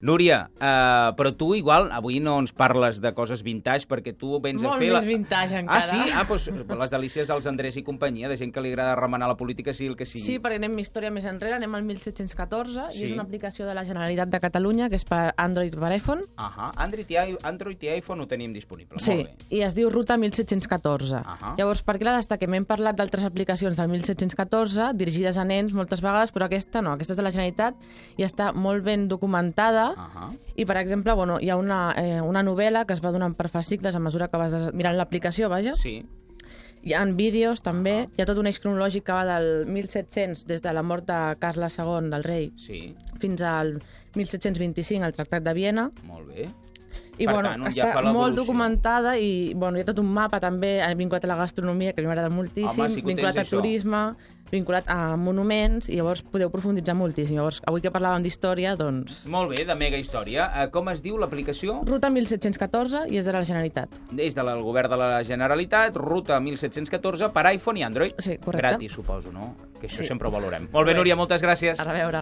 Núria, però tu igual avui no ens parles de coses vintage perquè tu vens a fer... Molt més vintage encara. Ah, sí? Doncs les delícies dels Andrés i companyia, de gent que li agrada remenar la política, sigui el que sigui. Sí, perquè anem història més enrere, anem al 1714, Sí. i és una aplicació de la Generalitat de Catalunya, que és per Android i per iPhone. Android i iPhone ho tenim disponible, Sí, molt bé. i es diu Ruta 1714. Llavors, per què la destaquem? Hem parlat d'altres aplicacions del 1714, dirigides a nens moltes vegades, però aquesta no, aquesta és de la Generalitat i està molt ben documentada. I, per exemple, bueno, hi ha una novel·la que es va donant per fascicles a mesura que vas mirant l'aplicació, vaja. Sí. Hi ha vídeos, també. Hi ha tot un eix cronològic que va del 1700, des de la mort de Carles II, del rei, Sí, fins al 1725, el Tractat de Viena. molt bé. I, Per bueno, tant, ja està fa l'evolució. molt documentada i, bueno, hi ha tot un mapa, també, vinculat a la gastronomia, que a mi m'agrada moltíssim, Home, sí que ho vinculat tens, a turisme, vinculat a monuments, i llavors podeu profunditzar moltíssim. Llavors, avui que parlàvem d'història, doncs... Molt bé, de mega història. Com es diu l'aplicació? Ruta 1714 i és de la Generalitat. És del govern de la Generalitat, Ruta 1714 per iPhone i Android. Sí, correcte. Gratis, suposo, no? Que això Sí. sempre ho valorem. Molt bé, Núria, moltes gràcies. A reveure.